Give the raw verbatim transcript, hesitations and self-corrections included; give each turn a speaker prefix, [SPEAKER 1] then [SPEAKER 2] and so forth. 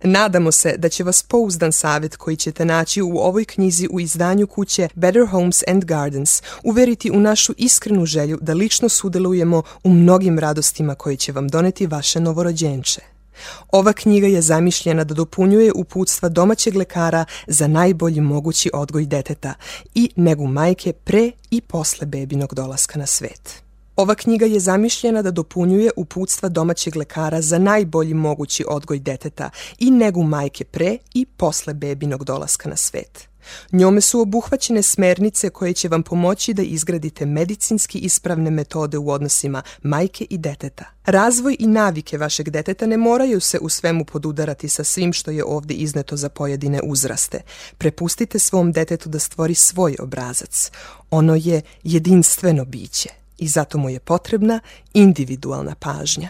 [SPEAKER 1] Nadamo se da će vas pouzdan savjet koji ćete naći u ovoj knjizi u izdanju kuće Better Homes and Gardens uveriti u našu iskrenu želju da lično sudjelujemo u mnogim radostima koje će vam doneti vaše novorođenče. Ova knjiga je zamišljena da dopunjuje uputstva domaćeg lekara za najbolji mogući odgoj deteta i negu majke pre i posle bebinog dolaska na svet. Ova knjiga je zamišljena da dopunjuje uputstva domaćeg lekara za najbolji mogući odgoj deteta i negu majke pre i posle bebinog dolaska na svet. Njome su obuhvaćene smernice koje će vam pomoći da izgradite medicinski ispravne metode u odnosima majke i deteta. Razvoj i navike vašeg deteta ne moraju se u svemu podudarati sa svim što je ovdje izneto za pojedine uzraste. Prepustite svom detetu da stvori svoj obrazac. Ono je jedinstveno biće i zato mu je potrebna individualna pažnja.